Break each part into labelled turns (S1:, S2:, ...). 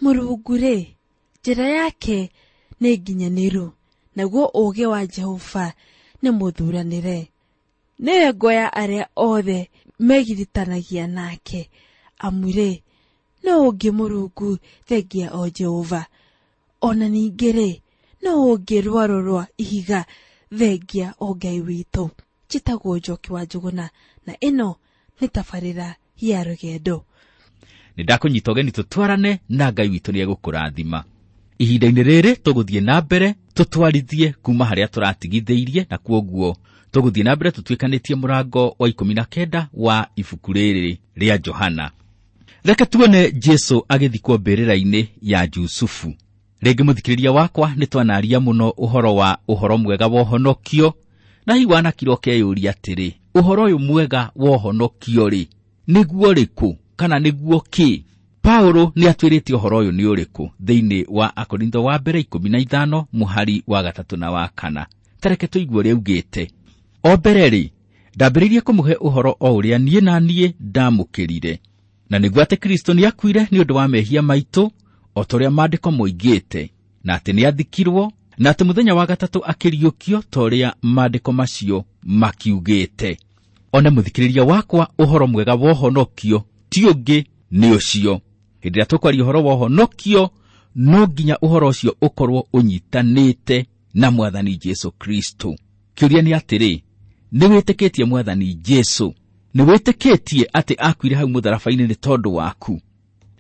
S1: Mũrungu-rĩ, njĩra yake nĩ nginyanĩru, naguo ũũgĩ wa Jehova nĩ mũthuranĩre. Nĩwe ngo ya arĩa othe megiritanagia nake, amu-rĩ, nũũ ũngĩ Mũrungu thengia o Jehova? O na ningĩ-rĩ, nũũ ũngĩ rwaro rwa ihiga thengia o Ngai witũ? Njĩtagwo Njoki wa Njũgũna, na ĩno nĩ tabarĩra ya rũgendo.
S2: Nĩ ndakũnyita ũgeni tũtwarane na Ngai witũ nĩ egũkũrathima. Ihinda-inĩ rĩrĩ tũgũthiĩ na mbere tũtwarithie kuma harĩa tũratigithĩirie, na kwoguo tũgũthiĩ na mbere tũtuĩkanĩtie mũrango wa 19 wa ibuku rĩrĩ rĩa Johana. Reke tuone Jesu agĩthikwo mbĩrĩra-inĩ ya Jusufu. Rĩngĩ mũthikĩrĩria wakwa, nĩ twanaria mũno ũhoro wa ũhoro mwega wa ũhonokio, na hihi wanakira ũkeyũria atĩrĩ, ũhoro ũyũ mwega wa ũhonokio rĩ, nĩguo ũrĩkũ kana nĩguo kĩ? Paulo nĩ atwĩrĩte ũhoro ũyũ nĩ ũrĩkũ thĩinĩ wa Akorintho wa mbere 15 mũhari wa 3 na wa 4. Tareke tũigue ũrĩa augĩte. O mbere rĩ, ndambĩrĩirie kũmũhe ũhoro o ũrĩa niĩ na niĩ ndamũkĩrire, na nĩguo atĩ Kristo nĩakuire nĩ ũndũ wa mehia maitũ, o ta ũrĩa maandĩko moigĩte, na atĩ nĩathikirwo, na atĩ mũthenya wa gatatũ akĩriũkio ta ũrĩa maandĩko macio makiugĩte. One mũthikĩrĩria wakwa, ũhoro mwega wa ũhonokio ti ũngĩ nĩ ũcio. Hĩndĩ ĩrĩa tũkwaria ũhoro wa ũhonokio, no nginya ũhoro ũcio ũkorwo ũnyitanĩte na Mwathani Jesu Kristo. Kĩũria nĩ atĩrĩ, nĩ wĩtĩkĩtie Mwathani Jesu? Nĩ wĩtĩkĩtie atĩ akuire hau mũtharaba-inĩ nĩ tondũ waku?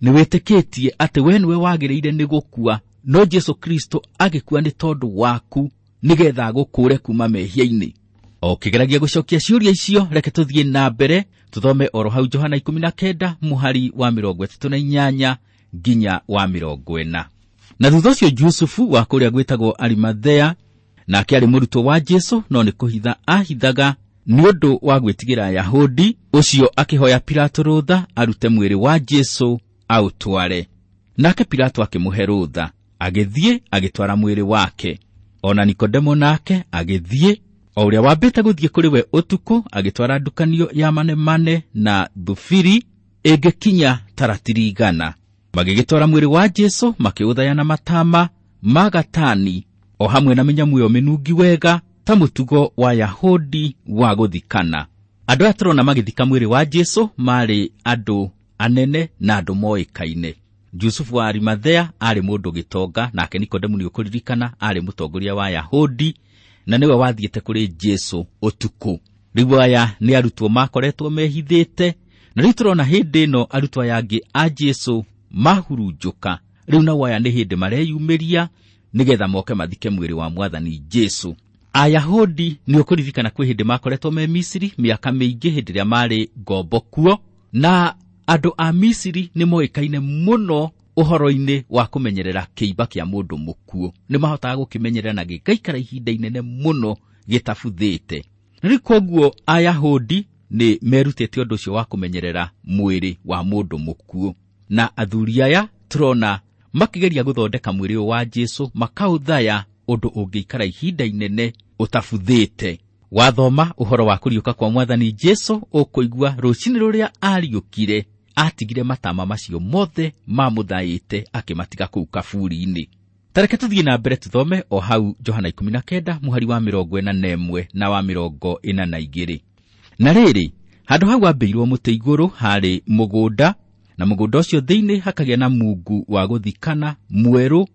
S2: Nĩ wĩtĩkĩtie atĩ we nĩwe wagĩrĩire nĩ gũkua, no Jesu Kristo agĩkua nĩ tondũ waku nĩgetha agũkũũre kuma mehia-inĩ? O ũkĩgeragia gũcokia ciũria icio, reke tũthiĩ na mbere tũthome oro hau Johana 19 mũhari wa 38 nginya wa 40. Na thutha ũcio Jusufu wa kũrĩa gwĩtagwo Arimathea, nake aarĩ mũrutwo wa Jesu, no nĩ kũhitha ahithaga nĩ ũndũ wa gwĩtigĩra Ayahudi, ũcio akĩhoya Pilato rũtha arute mwĩrĩ wa Jesu aũtware. Nake Pilato akĩmũhe rũtha, agĩthiĩ agĩtwara mwĩrĩ wake. Ona Nikodemo nake agĩthiĩ, o ũrĩa wambĩte gũthiĩ kũrĩ we ũtukũ, agĩtwara ndukanio ya manemane na thubiri ĩngĩkinya ta ratiri 100. Magĩgĩtwara mwĩrĩ wa Jesu, makĩũthaya na matama ma gatani, o hamwe na mĩnyamũ ĩyo mĩnungi wega, ta mũtugo wa Yahudi wa gũthikana. Andũ aya tũrona magĩthika mwĩrĩ wa Jesu marĩ andũ anene na andũ moĩkaine. Jusufu wa Arimathea aarĩ mũndũ gĩtonga, nake Nikodemu nĩ ũkũririkana aarĩ mũtongoria wa Yahudi, na nĩwe wathiĩte kũrĩ Jesu ũtukũ. Rĩu aya nĩ arutwo makoretwo mehithĩte, na rĩu tũrona hĩndĩ ĩno arutwo aya angĩ a Jesu mahurunjũka. Rĩu nao aya nĩ hĩndĩ mareyumĩria nĩgetha moke mathike mwĩrĩ wa Mwathani Jesu. Ayahudi nĩ ũkũririkana kwĩ hĩndĩ makoretwo me Misiri mĩaka mĩingĩ hĩndĩ ĩrĩa marĩ ngombo kuo, na andũ a Misiri nĩ moĩkaine mũno ũhoro-inĩ wa kũmenyerera kĩimba kĩa mũndũ mũkuũ. Nĩ mahotaga gũkĩmenyerera na gĩgaikara ihinda inene mũno gĩtabuthĩte. Na rĩu kwoguo Ayahudi nĩ merutĩte ũndũ ũcio wa kũmenyerera mwĩrĩ wa mũndũ mũkuũ. Na athuri aya tũrona makĩgeria gũthondeka mwĩrĩ ũyũ wa Jesu, makaũthaya ũndũ ũngĩikara ihinda inene ũtabuthĩte. Wathoma ũhoro wa kũriũka kwa Mwathani Jesu, ũkũigua rũcinĩ rũrĩa ariũkire atigire matama macio mothe mamũthaĩte akĩmatiga kũu kaburi-inĩ. Tareke tũthiĩ na mbere tũthome o hau Johana 19 mũhari wa 41 na wa 42. Na rĩrĩ, handũ hau ambĩirwo mũtĩ igũrũ harĩ mũgũnda, na mũgũnda ũcio thĩinĩ hakagĩa na mungu wa gũthikana mwerũ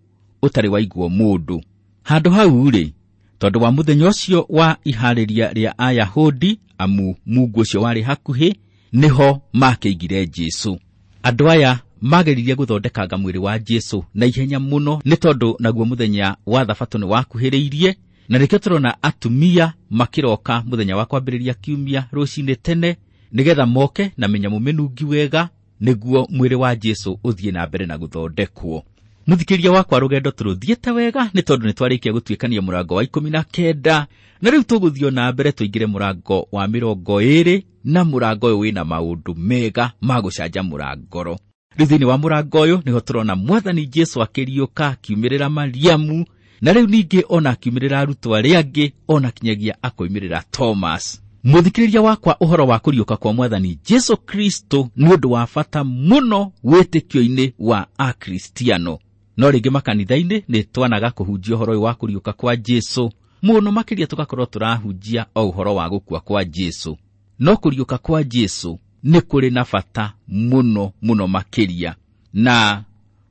S2: ũtarĩ waigwo mũndũ. Handũ hau rĩ, tondũ wa mũthenya ũcio wa iharĩria rĩa Ayahudi, amu mungu ũcio warĩ hakuhĩ, nĩho makĩigire Jesu. Andũ aya mageririe gũthondekanga mwĩrĩ wa Jesu na ihenya mũno, nĩ tondũ naguo mũthenya wa Thabatũ nĩ wakuhĩrĩirie, na nĩkĩo tũrona atumia makĩroka mũthenya wa kwambĩrĩria kiumia rũcinĩ tene, nĩgetha moke na mĩnyamũ mĩnungi wega, nĩguo mwĩrĩ wa Jesu ũthiĩ na mbere na gũthondekwo. Mũthikĩrĩria wakwa, rũgendo tũrũthiĩte wega nĩ tondũ nĩ twarĩkia gũtuĩkania mũrango wa 19, na rĩu tũgũthiĩ na mbere tũingĩre mũrango wa 20, na mũrango ũyũ wĩna maũndũ mega ma gũcanjamũra ngoro. Rĩu thĩinĩ wa mũrango ũyũ nĩho tũrona Mwathani Jesu akĩriũka, akiumĩrĩra Mariamu, na rĩu ningĩ ona akiumĩrĩra arutwo arĩa angĩ, ona kinyagia akoimĩrĩra Thomas. Mũthikĩrĩria wakwa, ũhoro wa kũriũka kwa Mwathani Jesu Kristo nĩ ũndũ wa bata mũno wĩtĩkio-inĩ wa Akristiano. No rĩngĩ makanitha-inĩ nĩ twanaga kũhunjia ũhoro ũyũ wa kũriũka kwa Jesu mũno, makĩria tũgakorwo tũrahunjia o ũhoro wa gũkua kwa Jesu. No kũriũka kwa Jesu nĩ kũrĩ na bata mũno mũno makĩria. Na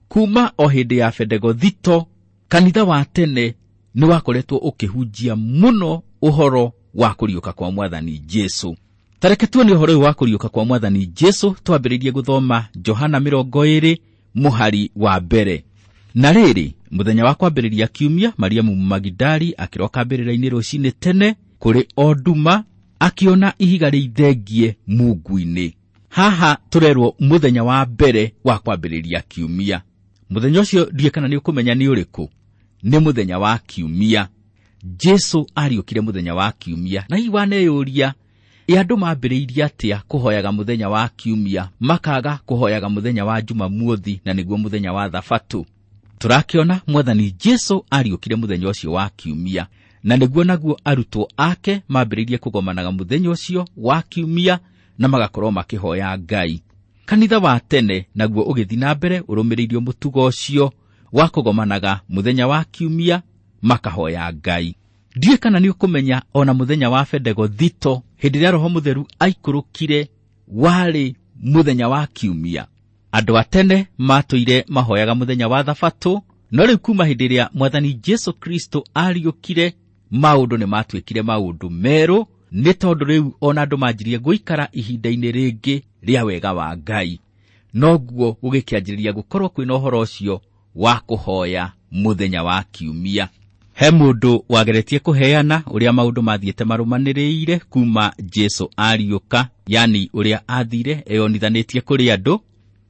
S2: kuma o hĩndĩ ya Bendegothito, kanitha wa tene nĩ wakoretwo ũkĩhunjia mũno ũhoro wa kũriũka kwa Mwathani Jesu. Tareke tuone ũhoro ũyũ wa kũriũka kwa Mwathani Jesu twambĩrĩrie gũthoma Johana 20 mũhari wa mbere. Na rĩrĩ, mũthenya wa kwambĩrĩria kiumia, Mariamu Magidali akĩroka mbĩrĩra-inĩ rũcinĩ tene kũrĩ o nduma, akĩona ihiga rĩithengie mungu-inĩ. Haha tũrerwo mũthenya wa mbere wa kwambĩrĩria kiumia. Mũthenya ũcio ndiũĩ kana nĩ ũkũmenya nĩ ũrĩkũ. Nĩ mũthenya wa kiumia. Jesu ariũkire mũthenya wa kiumia. Na hihi waneyũria, ĩ andũ mambĩrĩirie atĩa kũhoyaga mũthenya wa kiumia, makaga kũhoyaga mũthenya wa Jumamothi, na nĩguo mũthenya wa Thabatũ? Tũrakĩona Mwathani Jesu ariũkire mũthenya ũcio wa kiumia, na nĩguo naguo arutwo ake mambĩrĩirie kũgomanaga mũthenya ũcio wa kiumia na magakorwo makĩhoya Ngai. Kanitha wa tene naguo ũgĩthiĩ na mbere ũrũmĩrĩirio mũtugo ũcio wa kũgomanaga mũthenya wa kiumia makahoya Ngai. Ndiũĩ kana nĩ ũkũmenya ona mũthenya wa Bendegothito, hĩndĩ ĩrĩa Roho Mũtheru aikũrũkire, warĩ mũthenya wa kiumia. Andũ a tene matũire mahoyaga mũthenya wa Thabatũ, no rĩu kuma hĩndĩ ĩrĩa Mwathani Jesu Kristo ariũkire, maũndũ nĩ matuĩkire maũndũ merũ, nĩ tondũ rĩu ona andũ manjirie gũikara ihinda-inĩ rĩngĩ rĩa wega wa Ngai. Noguo gũgĩkĩanjĩrĩria gũkorwo kwĩna ũhoro ũcio wa kũhoya mũthenya wa kiumia. He mũndũ wageretie kũheana ũrĩa maũndũ mathiĩte marũmanĩrĩire kuma Jesu ariũka, yani ũrĩa athire eyonithanĩtie kũrĩ andũ,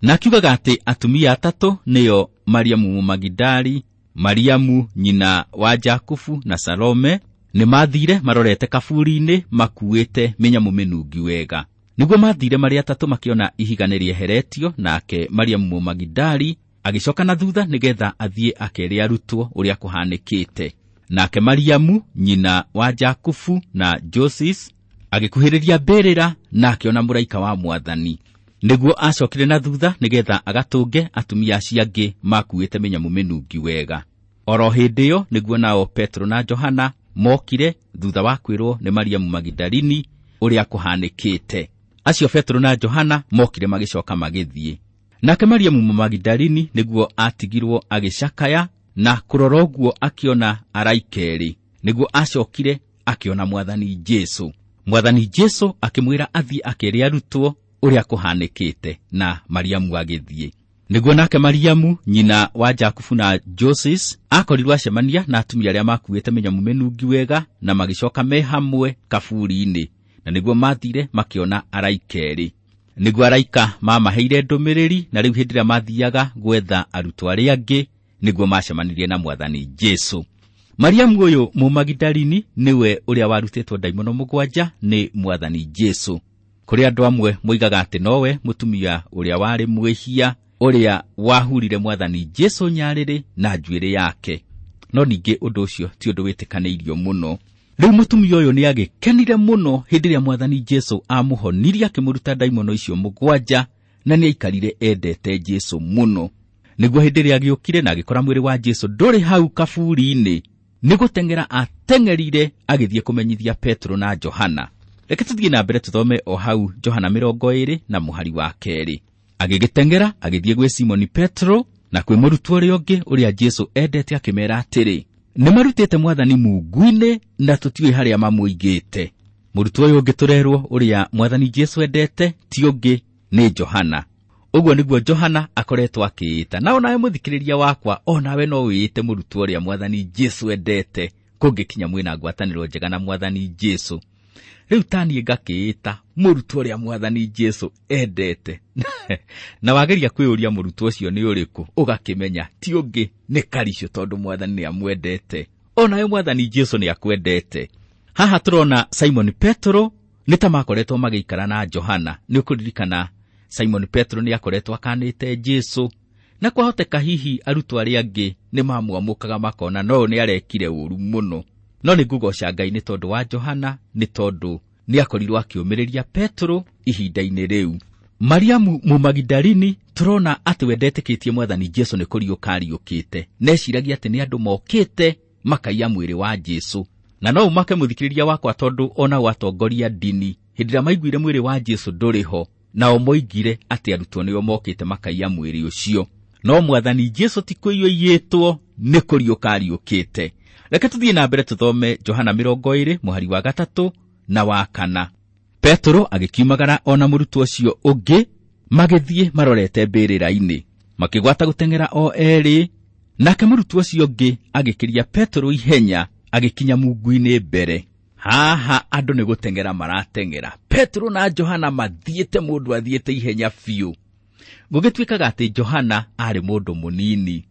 S2: na akiugaga atĩ atumia atatũ nĩo Mariamu Magidali, Mariamu nyina wa Jakubu na Salome nĩ mathire marorete kaburi-inĩ makuĩte mĩnyamũ mĩnungi wega. Nĩguo mathire marĩ atatũ makĩona ihiga nĩ rĩeheretio, nake Mariamu Magidali agĩcoka na thutha nĩgetha athiĩ akere arutwo ũrĩa kũhanĩkĩte. Nake Mariamu nyina wa Jakubu na Joses agĩkuhĩrĩria mbĩrĩra na akĩona mũraika wa Mwathani. Nĩguo acokire na thutha nĩgetha agatũnge atumia acio angĩ makuĩte mĩnyamũ mĩnungi wega. Oro hĩndĩ ĩyo nĩguo nao Petro na Johana mokire thutha wa kwĩrwo nĩ Mariamu Magidalini ũrĩa kũhanĩkĩte. Acio Petro na Johana mokire magĩcoka magĩthiĩ. Nake Mariamu Magidalini nĩguo atigirwo agĩcakaya na kũrora ũguo akĩona araika erĩ. Nĩguo acokire akĩona Mwathani Jesu. Mwathani Jesu akĩmwĩra athiĩ akere arutwo ũrĩa kũhanĩkĩte, na Mariamu agĩthiĩ. Nĩguo nake Mariamu nyina wa Jakubu na Joses akorirwo acemania na atumia arĩa makuĩte mĩnyamũ mĩnungi wega na magĩcoka me hamwe kaburi-inĩ, na nĩguo mathire makĩona araika erĩ. Nĩguo araika mamaheire ndũmĩrĩri, na rĩu hĩndĩ ĩrĩa mathiaga gwetha arutwo arĩa angĩ nĩguo macemanirie na Mwathani Jesu. Mariamu ũyũ Mũmagidalini nĩwe ũrĩa warutĩtwo ndaimono 7 nĩ Mwathani Jesu. Kũrĩ andũ amwe moigaga atĩ nowe mũtumia ũrĩa warĩ mwĩhia ũrĩa wahurire Mwathani Jesu nyarĩrĩ na njuĩrĩ yake. No ningĩ ũndũ ũcio ti ũndũ wĩtĩkanĩirio mũno. Rĩu mũtumia ũyũ nĩ agĩkenire mũno hĩndĩ ĩrĩa Mwathani Jesu amũhonirie akĩmũruta ndaimono icio 7, na nĩ aikarire endete Jesu mũno. Nĩguo hĩndĩ ĩrĩa agĩũkire na agĩkora mwĩrĩ wa Jesu ndũrĩ hau kaburi-inĩ, nĩ gũteng'era ateng'erire agĩthiĩ kũmenyithia Petro na Johana. Reke tũthiĩ na mbere tũthome o hau Johana 20 na mũhari wa 2. Agĩgĩteng'era agĩthiĩ gwĩ Simoni Petro na kwĩ mũrutwo ũrĩa ũngĩ ũrĩa Jesu endete, akĩmeera atĩrĩ, nĩ marutĩte Mwathani mungu-inĩ na tũtiũĩ harĩa mamũigĩte. Mũrutwo ũyũ ũngĩ tũrerwo ũrĩa Mwathani Jesu endete ti ũngĩ nĩ Johana. Ũguo nĩguo Johana akoretwo akĩĩta. Na onawe mũthikĩrĩria wakwa, onawe no wĩĩte mũrutwo ũrĩa Mwathani Jesu endete, kũngĩkinya mwĩna ngwatanĩro njega na Mwathani Jesu. Rĩu ta niĩ ngakĩĩta mũrutwo ũrĩa Mwathani Jesu endete. Na wageria kwĩyũria mũrutwo ũcio nĩ ũrĩkũ, ũgakĩmenya ti ũngĩ nĩ Karicũ, tondũ Mwathani nĩ amwendete. Onawe Mwathani Jesu nĩ akwendete. Haha tũrona Simon Petro nĩ ta makoretwo magĩikara na Johana. Nĩ ũkũririkana Simon Petro nĩ akoretwo akanĩte Jesu, na kwahoteka hihi arutwo arĩa angĩ nĩ mamwamũkaga makona no nĩ arekire ũru mũno. No nĩ ngũgoca Ngai nĩ tondũ wa Johana, nĩ tondũ nĩ akorirwo akĩũmĩrĩria Petero ihinda-inĩ rĩu. Mariamu Mũmagidalini tũrona atĩ we ndetĩkĩtie mwathani Jesu nĩ kũriũka ariũkĩte, neciragia atĩ nĩ andũ mokĩte makaiya mwĩrĩ wa Jesu. Na no ũmake mũthikĩrĩria wakwa tondũ ona atongoria ndini hĩndĩ ĩrĩa maiguire mwĩrĩ wa Jesu ndũrĩ ho, nao moigire atĩ arutwo nĩo mokĩte makaiya mwĩrĩ ũcio. No mwathani Jesu ti kũiyũiyĩtwo, nĩ kũriũka ariũkĩte. Reke tũthiĩ na mbere tũthome Johana 20 mũhari wa 3 na wa 4. Petero agĩkiumagara ona mũrutwo ũcio ũngĩ, magĩthiĩ marorete mbĩrĩra-inĩ, makĩgwata gũteng'era o erĩ. Nake mũrutwo ũcio ũngĩ agĩkĩria Petero ihenya, agĩkinya mungu-inĩ mbere. Haha andũ nĩ gũteng'era marateng'era. Petero na Johana mathiĩte, mũndũ athiĩte ihenya biũ. Gũgĩtuĩkaga atĩ Johana aarĩ mũndũ mũnini.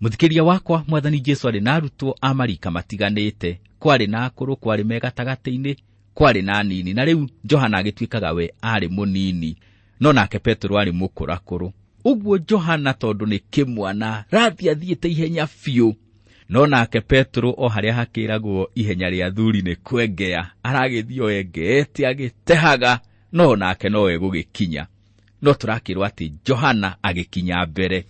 S2: Mũthikĩria wakwa, mwathani Jesu arĩ na arutwo a marika matiganĩte, kwarĩ na akũrũ, kwarĩ me gatagatĩ-inĩ, kwarĩ na anini, na rĩu Johana agĩtuĩkaga we aarĩ mũnini, no nake Petero aarĩ mũkũrakũrũ. Ũguo Johana tondũ nĩ kĩmwana rathiĩ athiĩte ihenya biũ, no nake Petero o harĩa hakĩragwo ihenya rĩa athuri nĩ kwengea, aragĩthiĩ o engeete agĩtehaga, no nake no egũgĩkinya. No tũrakĩrwo atĩ Johana agĩkinya mbere.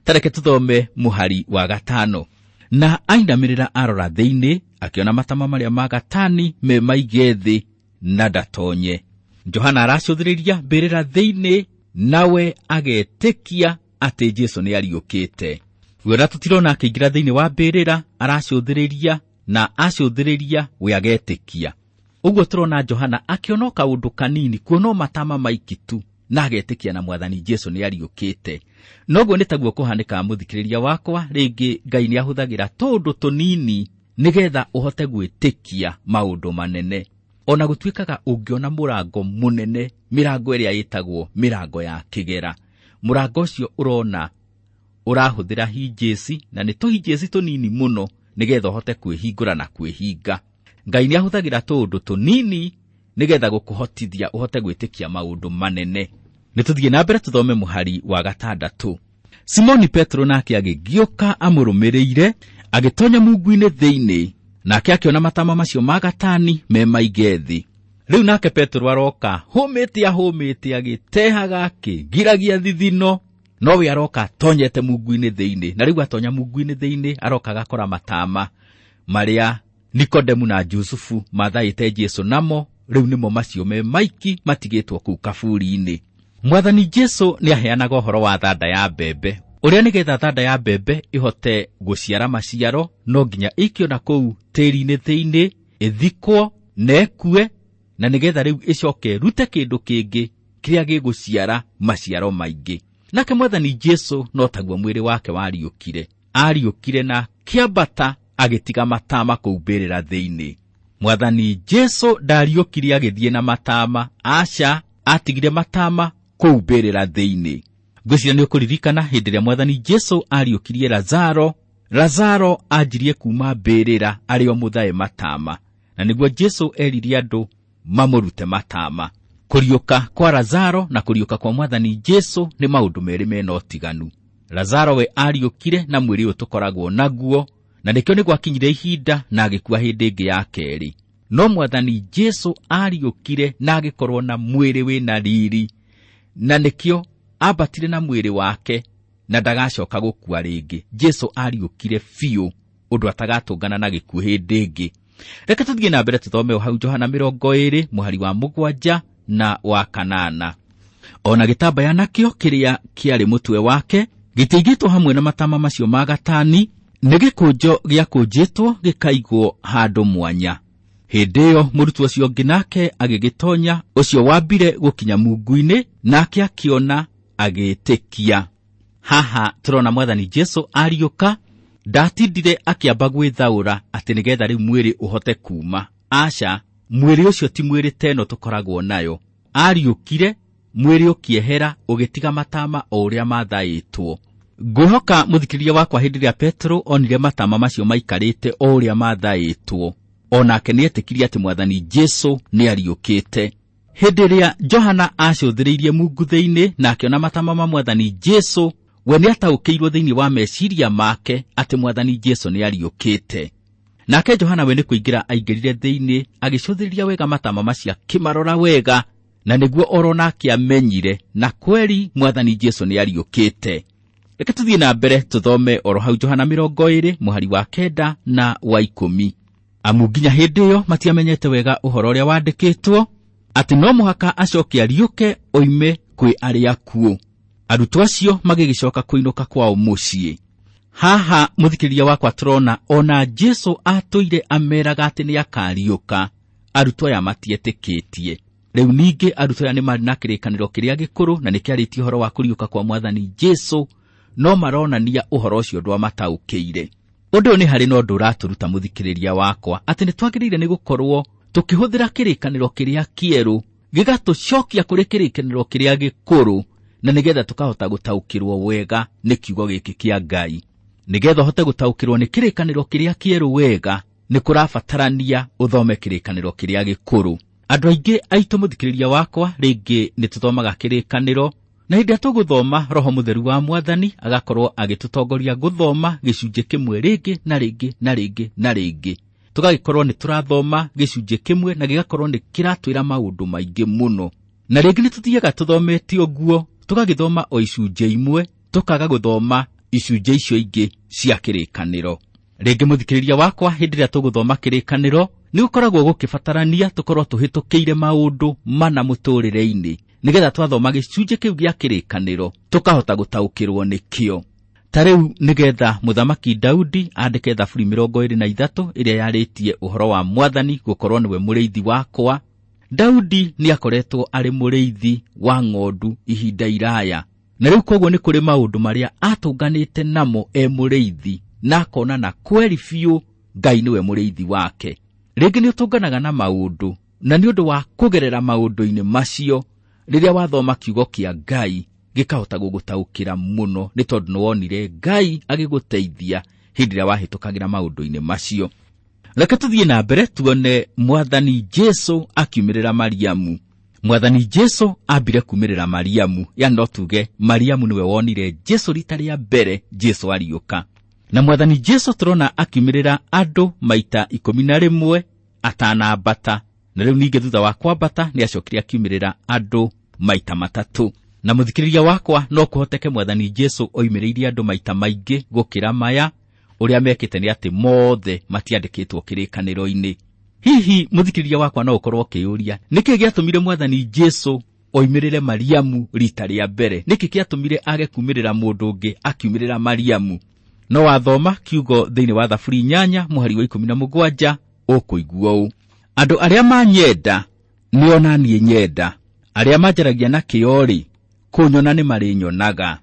S2: Tareke tũthome mũhari wa 5. Na ainamĩrĩra arora thĩinĩ, akĩona matama marĩa ma gatani me maige thĩ na ndatonye. Johana aracũthĩrĩria mbĩrĩra thĩinĩ, nawe agetĩkia atĩ Jesu nĩ ariũkĩte. Wona tũtirona akĩingĩra thĩinĩ wa mbĩrĩra, aracũthĩrĩria na acũthĩrĩria we agetĩkia. Ũguo tũrona Johana akĩona kaũndũ kanini, kuona matama maiki tu, na agetĩkia na mwathani Jesu nĩ ariũkĩte. Noguo nĩ taguo kũhanĩkaga mũthikĩrĩria wakwa, rĩngĩ Ngai nĩ ahũthagĩra tũũndũ tũnini nĩgetha ũhote gwĩtĩkia maũndũ manene. Ona gũtuĩkaga ũngĩona mũrango mũnene, mĩrango ĩrĩa ĩtagwo mĩrango ya kĩgera, mũrango ũcio ũrona ũrahũthĩra hinjĩci, na nĩ tũhinjĩci tũnini mũno nĩgetha ũhote kwĩhingũra na kwĩhinga. Ngai nĩ ahũthagĩra tũũndũ tũnini nĩgetha gũkũhotithia ũhote gwĩtĩkia maũndũ manene. Nĩ tũthiĩ na mbere tũthome mũhari wa 6. Simoni Petero nake agĩgĩũka amũrũmĩrĩire, agĩtonya mungu-inĩ thĩinĩ, nake akĩona matama macio ma gatani me maige thĩ. Rĩu nake Petero aroka hũmĩte ahũmĩte, agĩtehaga akĩgiragia thithino, no we aroka atonyete mungu-inĩ thĩinĩ. Na rĩu atonya mungu-inĩ thĩinĩ, aroka agakora matama marĩa Nikodemu na Jusufu mathaĩte Jesu namo, rĩu nĩmo macio me maiki matigĩtwo kũu kaburi-inĩ. Mwathani Jesu nĩ aheanaga ũhoro wa thanda ya mbembe, ũrĩa nĩgetha thanda ya mbembe ĩhote gũciara maciaro no nginya ĩikio na kũu tĩri-inĩ thĩinĩ, ĩthikwo na ĩkue, na nĩgetha rĩu ĩcoke ĩrute kĩndũ kĩngĩ kĩrĩa gĩgũciara maciaro maingĩ. Nake mwathani Jesu no taguo mwĩrĩ wake wariũkire, ariũkire na kĩambata agĩtiga matama kũu mbĩrĩra thĩinĩ. Mwathani Jesu ndariũkire agĩthiĩ na matama, aca, atigire matama kũu mbĩrĩra thĩinĩ. Ngwĩciria nĩ ũkũririkana hĩndĩ ĩrĩa mwathani Jesu ariũkirie Lazaro, Lazaro anjirie kuma mbĩrĩra arĩ o mũthae matama, na nĩguo Jesu erire andũ mamũrute matama. Kũriũka kwa Lazaro na kũriũka kwa mwathani Jesu nĩ maũndũ merĩ mena ũtiganu. Lazaro we ariũkire na mwĩrĩ ũyũ tũkoragwo naguo, na nĩkĩo nĩ gwakinyire ihinda na agĩkua hĩndĩ ĩngĩ ya kerĩ. No mwathani Jesu ariũkire na agĩkorwo na mwĩrĩ wĩna riri, na nĩkĩo ambatire na mwĩrĩ wake na ndagacoka gũkua rĩngĩ. Jesu ariũkire biũ ũndũ atagatũngana na gĩkuũ hĩndĩ ĩngĩ. Reke tũthiĩ na mbere tũthome o hau Johana 20 mũhari wa 7 na wa 8. Ona gĩtambaya nakĩo kĩrĩa kĩarĩ mũtwe wake gĩtiigĩtwo hamwe na matama macio ma gatani, nĩ gĩkũnjo gĩakũnjĩtwo gĩkaigwo handũ mwanya. Hĩndĩ ĩyo mũrutwo ũcio ũngĩ nake agĩgĩtonya, ũcio wambire gũkinya mungu-inĩ, nake akĩona agĩtĩkia. Haha tũrona mwathani Jesu ariũka, ndatindire akĩamba gwĩthaũra atĩ nĩgetha rĩu mwĩrĩ ũhote kuma. Aca, mwĩrĩ ũcio ti mwĩrĩ ta ĩno tũkoragwo nayo. Ariũkire, mwĩrĩ ũkĩehera ũgĩtiga matama o ũrĩa mathaĩtwo. Ngwĩhoka mũthikĩrĩria wakwa hĩndĩ ĩrĩa Petero onire matama macio maikarĩte o ũrĩa mathaĩtwo, onake nĩetĩkirie atĩ mwathani Jesu nĩariũkĩte. Hĩndĩ ĩrĩa Johana acũthĩrĩirie mungu thĩinĩ na akĩona matama ma mwathani Jesu, we nĩataũkĩirwo thĩinĩ wa meciria make atĩ mwathani Jesu nĩariũkĩte. Nake Johana we nĩ kũingĩra aingĩrire thĩinĩ, agĩcũthĩrĩria wega matama macio akĩmarora wega, na nĩguo oro nake amenyire na kweri Mwathani Jesu nĩ ariũkĩte. Reke tũthiĩ na mbere tũthome oro hau Johana 20 mũhari wa 9 na wa 10. Amu nginya hĩndĩ ĩyo matiamenyete wega ũhoro ũrĩa wandĩkĩtwo atĩ no mũhaka acoke ariũke oime kwĩ arĩa akuũ. Arutwo acio magĩgĩcoka kũinũka kwao mũciĩ. Haha mũthikĩrĩria wakwa tũrona ona Jesu atũire ameraga atĩ nĩ akariũka, arutwo aya matietĩkĩtie. Rĩu ningĩ arutwo aya nĩ marĩ na kĩrĩkanĩro kĩrĩa gĩkũrũ na nĩkĩarĩtie ũhoro wa kũriũka kwa Mwathani Jesu, no maronania ũhoro ũcio ndwamataũkĩire. Ũndũ ũyũ nĩ harĩ na ũndũ ũratũruta mũthikĩrĩria wakwa atĩ nĩ twagĩrĩire nĩ gũkorwo tũkĩhũthĩra kĩrĩkanĩro kĩrĩa kĩerũ gĩgatũcokia kũrĩ kĩrĩkanĩro kĩrĩa gĩkũrũ, na nĩgetha tũkahota gũtaũkĩrwo wega nĩ kiugo gĩkĩ kĩa Ngai. Nĩgetha ũhote gũtaũkĩrwo nĩ kĩrĩkanĩro kĩrĩa kĩerũ wega, nĩ kũrabatarania ũthome kĩrĩkanĩro kĩrĩa gĩkũrũ. Andũ aingĩ aitũ mũthikĩrĩria wakwa rĩngĩ nĩ tũthomaga kĩrĩkanĩro, na hĩndĩ ĩrĩa tũgũthoma Roho Mũtheru wa Mwathani agakorwo agĩtũtongoria gũthoma gĩcunjĩ kĩmwe rĩngĩ na rĩngĩ na rĩngĩ na rĩngĩ. Tũgagĩkorwo nĩ tũrathoma gĩcunjĩ kĩmwe na gĩgakorwo nĩ kĩratwĩra maũndũ maingĩ mũno. Na rĩngĩ nĩ tũthiaga tũthomete ũguo, tũgagĩthoma o icunjĩ imwe, tũkaga gũthoma icunjĩ icio ingĩ cia kĩrĩkanĩro. Rĩngĩ mũthikĩrĩria wakwa, hĩndĩ ĩrĩa tũgũthoma kĩrĩkanĩro nĩ gũkoragwo gũkĩbatarania tũkorwo tũhĩtũkĩire maũndũ mana mũtũrĩre-inĩ, nĩgetha twathoma gĩcunjĩ kĩu gĩa kĩrĩkanĩro tũkahota gũtaũkĩrwo nĩkĩo. Ta rĩu nĩgetha Mũthamaki Daudi andĩke Thaburi 23 ĩrĩa yarĩtie ũhoro wa Mwathani gũkorwo nĩwe mũrĩithi wakwa, Daudi nĩ akoretwo arĩ mũrĩithi wa ng'ondu ihinda iraya. Na rĩu koguo nĩ kũrĩ maũndũ marĩa atũnganĩte namo e mũrĩithi, na akona na kweri biũ Ngai nĩwe mũrĩithi wake. Rĩngĩ nĩ ũtũnganaga na maũndũ, na nĩ ũndũ wa kũgerera maũndũ-inĩ macio, rĩrĩa wathoma kiugo kĩa Ngai gĩkahota gũgũtaũkĩra mũno, nĩ tondũ nĩ wonire Ngai agĩgũteithia hĩndĩ ĩrĩa wahĩtũkagĩra maũndũ-inĩ macio. Reke tũthiĩ na mbere tuone Mwathani Jesu akiumĩrĩra Mariamu. Mwathani Jesu ambire kumĩrĩra Mariamu, yani no tuge Mariamu nĩwe wonire Jesu rita rĩa mbere Jesu ariũka. Na Mwathani Jesu tũrona akiumĩrĩra andũ maita 11 atanambata. Na rĩu ningĩ thutha wa kwambata nĩ acokire akiumĩrĩra andũ maita 3. Na mũthikĩrĩria wakwa, no kũhoteke Mwathani Jesu oimĩrĩire andũ maita maingĩ gũkĩra maya. Ũrĩa mekĩte nĩ atĩ mothe matiandĩkĩtwo kĩrĩkanĩro-inĩ. Hihi mũthikĩrĩria wakwa no ũkorwo ũkĩyũria nĩkĩ gĩatũmire Mwathani Jesu oimĩrĩre Mariamu rita rĩa mbere? Nĩkĩ gĩatũmire age kumĩrĩra mũndũ ũngĩ akiumĩrĩra Mariamu? No wathoma kiugo thĩinĩ wa Thaburi 8 mũhari wa 17 ũkũigua ũũ: andũ arĩa manyenda nĩo na niĩ nyenda, arĩa manjaragia na kĩo-rĩ, kũnyona nĩ marĩnyonaga.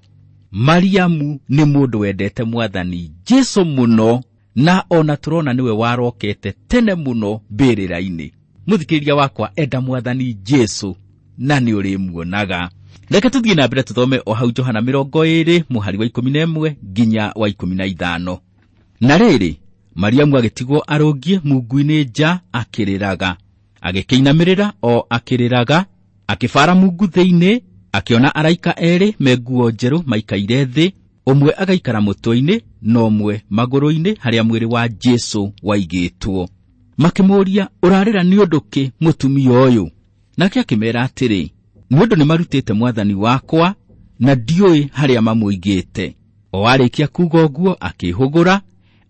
S2: Mariamu nĩ mũndũ wendete Mwathani Jesu mũno, na ona tũrona nĩwe warokete tene mũno mbĩrĩra-inĩ. Mũthikĩrĩria wakwa, enda Mwathani Jesu na nĩ ũrĩmuonaga. Reke tũthiĩ na mbere tũthome o hau Johana 20 mũhari wa 11 nginya wa 15. Na rĩrĩ, Mariamu agĩtigwo arũngiĩ mungu-inĩ nja akĩrĩraga, agĩkĩinamĩrĩra o akĩrĩraga, akĩbara mungu thĩinĩ, akĩona araika erĩ me nguo njerũ maikaire thĩ, ũmwe agaikara mũtwe-inĩ na ũmwe magũrũ-inĩ harĩa mwĩrĩ wa Jesu waigĩtwo. Makĩmũũria, ũrarĩra nĩ ũndũ kĩ mũtumia ũyũ? Nake akĩmeera atĩrĩ, nĩ ũndũ nĩmarutĩte Mwathani wakwa na ndiũĩ harĩa mamũigĩte. O arĩkia kuuga ũguo akĩhũgũra,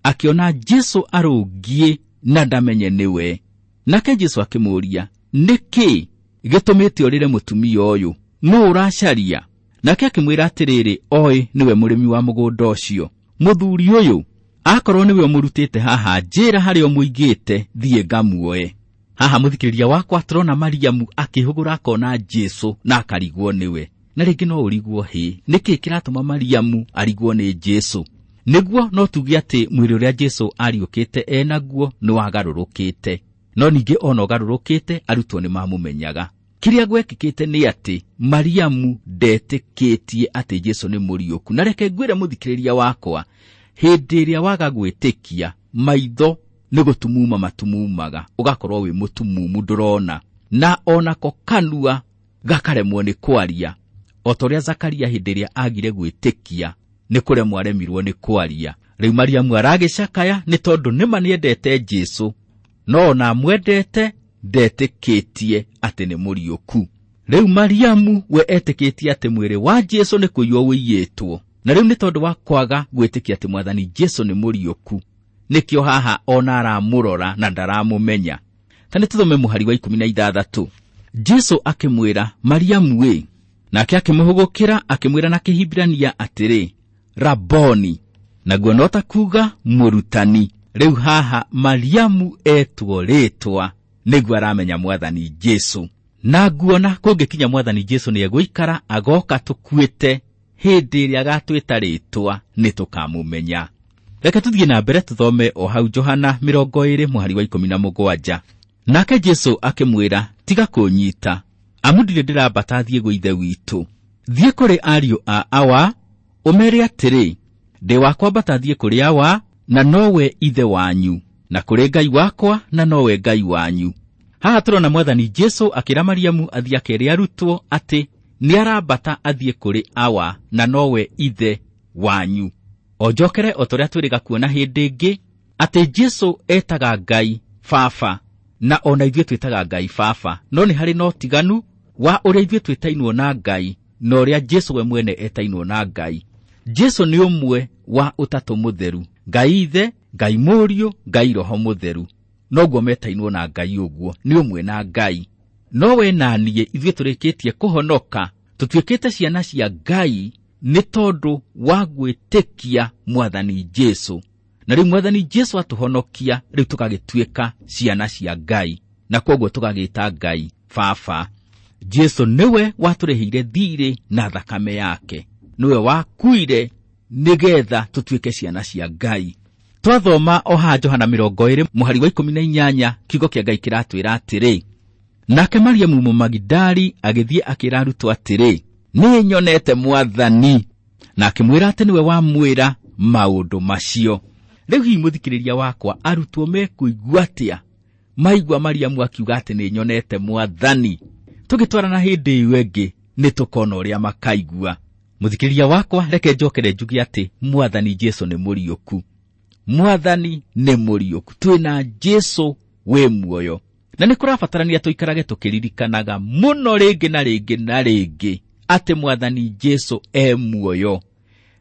S2: akĩona Jesu arũngiĩ na ndamenye nĩwe. Nake Jesu akĩmũũria, nĩkĩ gĩtũmĩte ũrĩre mũtumia ũyũ? Nũũ ũracaria? Nake akĩmwĩra atĩrĩrĩ, oĩ nĩwe mũrĩmi wa mũgũnda ũcio. Mũthuri ũyũ, akorwo nĩwe ũmũrutĩte haha, njĩra harĩa ũmũigĩte, thiĩ ngamuoe. Haha mũthikĩrĩria wakwa tũrona Mariamu akĩhũgũra akona Jesu na akarigwo nĩwe. Na rĩngĩ no ũrigwo hĩ, nĩkĩ kĩratũma Mariamu arigwo nĩ Jesu? Nĩguo no tuge atĩ mwĩrĩ ũrĩa Jesu ariũkĩte enaguo nĩ wagarũrũkĩte. No ningĩ ona ũgarũrũkĩte, arutwo nĩ mamũmenyaga. Kĩrĩa gwekĩkĩte nĩ atĩ Mariamu ndetĩkĩtie atĩ Jesu nĩ mũriũku. Na reke ngwĩre mũthikĩrĩria wakwa, hĩndĩ ĩrĩa waga gwĩtĩkia, maitho nĩ gũtumuma matumumaga, ũgakorwo wĩ mũtumumu ndũrona, na onako kanua gakaremwo nĩ kwaria. O ta ũrĩa Zakaria hĩndĩ ĩrĩa agire gwĩtĩkia, nĩ kũremwo aremirwo nĩ kwaria. Rĩu Mariamu aragĩcakaya nĩ tondũ nĩma nĩendete Jesũ, no ona amwendete ndetĩkĩtie atĩ nĩ mũriũku. Rĩu Mariamu we etĩkĩtie atĩ mwĩrĩ wa Jesũ nĩ kũiywo ũiyĩtwo, na rĩu nĩ tondũ wa kwaga gwĩtĩkia atĩ mwathani Jesũ nĩ mũriũku, nĩkĩo haha ona aramũrora na ndaramũmenya. Ta nĩ tũthome mũhari wa 16. Jesũ akĩmwĩra, Mariamu ĩ. Nake akĩmũhũgũkĩra akĩmwĩra na Kĩhibirania atĩrĩ, Raboni, naguo no ta kuuga mũrutani. Rĩu haha Mariamu etwo rĩtwa nĩguo aramenya mwathani Jesũ. Na nguona kũngĩkinya mwathani Jesũ nĩegũikara agoka tũkuĩte, hĩndĩ ĩrĩa agatwĩta rĩtwa nĩtũkamũmenya. Reke tũthiĩ na mbere tũthome o hau Johana 20 mũhari wa 17. Nake Jesũ akĩmwĩra, tiga kũnyita, amu ndirĩ ndĩrambata thiĩ gwĩ ithe witũ. Thiĩ kũrĩ ariũ a Awa, ũmeere atĩrĩ, ndĩ wa kwambata thiĩ kũrĩ Awa, na nowe ithe wanyu, na kũrĩ Ngai wakwa, na nowe Ngai wanyu. Haha tũrona mwathani Jesũ akĩra Mariamu athiĩ akere arutwo atĩ nĩarambata athiĩ kũrĩ Awa, na nowe ithe wanyu. O njokere o torĩa twĩrĩga kuona hĩndĩ ĩngĩ atĩ Jesũ etaga Ngai Baba, na ona ithuĩ twĩtaga Ngai Baba, no nĩ harĩ na ũtiganu wa ũrĩa ithuĩ twĩtainwo na Ngai na ũrĩa Jesũ we mwene etainwo na Ngai. Jesũ nĩ ũmwe wa ũtatũ mũtheru, Ngai Ithe, Ngai Mũriũ, Ngai Roho Mũtheru. Noguo metainwo na Ngai ũguo, nĩ ũmwe na Ngai. No we na niĩ ithuĩ tũrĩkĩtie kũhonoka, tũtuĩkĩte ciana cia Ngai nĩ tondũ wa gwĩtĩkia mwathani Jesũ. Na rĩu mwathani Jesũ atũhonokia, rĩu tũgagĩtuĩka ciana cia Ngai, na kwoguo tũgagĩta Ngai Baba. Jesũ nĩwe watũrĩhĩire thirĩ na thakame yake, nĩwe wakuire nĩgetha tũtuĩke ciana cia Ngai. Twathoma o haha Johana 20 mũhari wa 18, kiugo kĩa Ngai kĩratwĩra atĩrĩ, nake Mariamu Mũmagidali agĩthiĩ akĩra arutwo atĩrĩ, nĩ nyonete mwathani, na akĩmwĩra atĩ nĩwe wamwĩra maũndũ macio. Rĩu hihi mũthikĩrĩria wakwa, arutwo mekũigua atĩa maigua Mariamu akiuga atĩ nĩ nyonete mwathani? Tũgĩtwarana hĩndĩ ĩyo ĩngĩ nĩ tũkona ũrĩa makaigua. Mũthikĩrĩria wakwa, reke njokere njuge atĩ mwathani Jesũ nĩ mũriũku. Mwathani nĩ mũriũku, twĩna Jesũ wĩ muoyo. Na nĩ kũrabatarania tũikarage tũkĩririkanaga mũno rĩngĩ na rĩngĩ na rĩngĩ atĩ mwathani Jesũ e muoyo.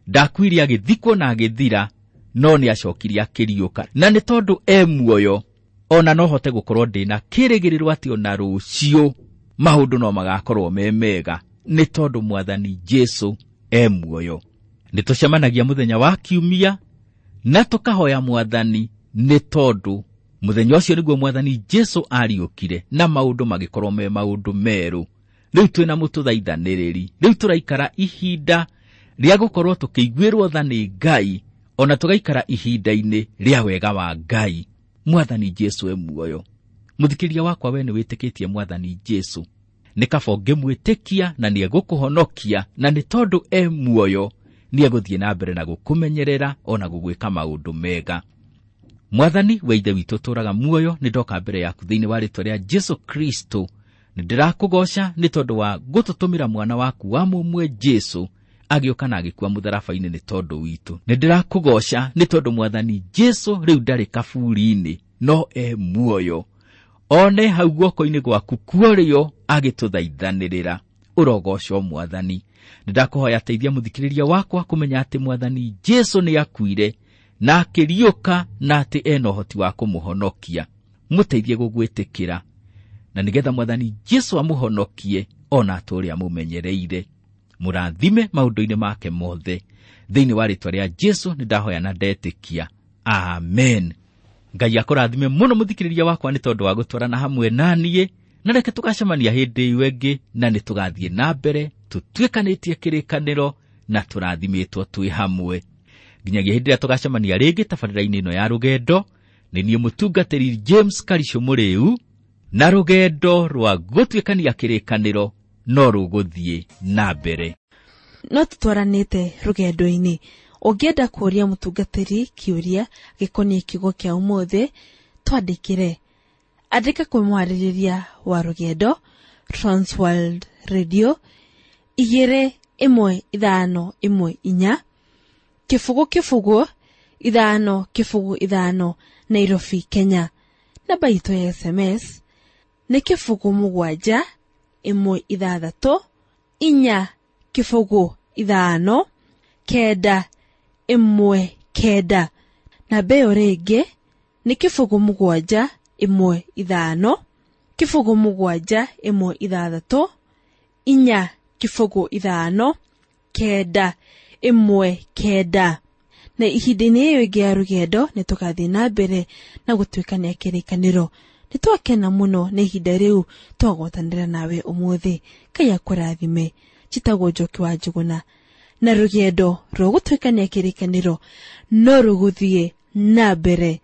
S2: Ndakuire agĩthikwo na agĩthira, no nĩ acokire akĩriũka. Na nĩ tondũ e muoyo, ona no hote gũkorwo ndĩna kĩrĩgĩrĩro atĩ ona rũciũ maũndũ no magakorwo me mega, nĩ tondũ mwathani Jesũ e muoyo. Nĩ tũcemanagia mũthenya wa kiumia na tũkahoya mwathani, nĩ tondũ mũthenya ũcio nĩguo mwathani Jesũ ariũkire na maũndũ magĩkorwo me maũndũ merũ. Rĩu twĩna mũtũthaithanĩrĩri, rĩu tũraikara ihinda rĩa gũkorwo tũkĩiguĩrwo tha nĩ Ngai, ona tũgaikara ihinda-inĩ rĩa wega wa Ngai. Mwathani Jesũ e muoyo. Mũthikĩrĩria wakwa, we nĩ wĩtĩkĩtie mwathani Jesũ? Nĩ kaba ũngĩmwĩtĩkia na nĩegũkũhonokia, na nĩ tondũ e muoyo nĩegũthiĩ na mbere na gũkũmenyerera ona gũgwĩka maũndũ mega. Mwathani we Ithe witũ ũtũũraga muoyo, nĩ ndoka mbere yaku thĩinĩ wa rĩtwa rĩa Jesũ Kristo. Nĩ ndĩrakũgoca nĩ tondũ wa gũtũtũmĩra mwana waku wa mũmwe Jesũ agĩũka na agĩkua mũtharaba-inĩ nĩ tondũ witũ. Nĩ ndĩrakũgoca nĩ tondũ mwathani Jesũ rĩu ndarĩ kaburi-inĩ, no e muoyo. One hau guoko-inĩ gwaku kuorĩo agĩtũthaithanĩrĩra. Ũrogocwo mwathani. Nĩ ndakũhoya teithia mũthikĩrĩria wakwa kũmenya atĩ mwathani Jesũ nĩ akuire na akĩriũka, na atĩ ena ũhoti wa kũmũhonokia. Mũteithie gũgwĩtĩkĩra, na nĩgetha mwathani Jesũ amũhonokie ona atũũre amũmenyereire. Mũrathime maũndũ-inĩ make mothe. Thĩinĩ wa rĩtwa rĩa Jesũ nĩ ndahoya na ndetĩkia. Amen. Ngai akũrathime mũno mũthikĩrĩria wakwa nĩ tondũ wa gũtwarana hamwe na niĩ, na reke tũgacemania hĩndĩ ĩyo ĩngĩ, na nĩ tũgathiĩ na mbere tũtuĩkanĩtie kĩrĩkanĩro na tũrathimĩtwo twĩ hamwe. Nginyagia hĩndĩ ĩrĩa tũgacemania rĩngĩ tabarĩra-inĩ ĩno ya rũgendo, nĩ niĩ mũtungatĩri James Karicũ Mũrĩu, na rũgendo rwa gũtuĩkania kĩrĩkanĩro no rũgũthiĩ na mbere.
S1: No tũtwaranĩte rũgendo-inĩ. Ũngĩenda kũũria mũtungatĩri kĩũria gĩkoniĩ kiugo kĩa ũmũthĩ, twandĩkĩre. Andĩka kwĩ mwarĩrĩria wa rũgendo, Transworld Radio, 21514, 0 0 5 0 5, Nairobi, Kenya. Namba itũ ya SMS nĩ 0 7 1 6 4 0 5 9 1 9. Namba ĩyo rĩngĩ nĩ 0 7 1 5 0 7 1 6 4 0 5 9 1 9. Na ihinda-inĩ ĩyo ĩngĩ ya rũgendo nĩ tũgathiĩ na mbere na gũtuĩkania kĩrĩkanĩro. Nĩ twakena mũno nĩ ihinda rĩu twagwatanĩra nawe ũmũthĩ. Ngai akũrathime. Njĩtagwo Njoki wa Njũgũna, na rũgendo rwa gũtuĩkania kĩrĩkanĩro no rũgũthiĩ na mbere.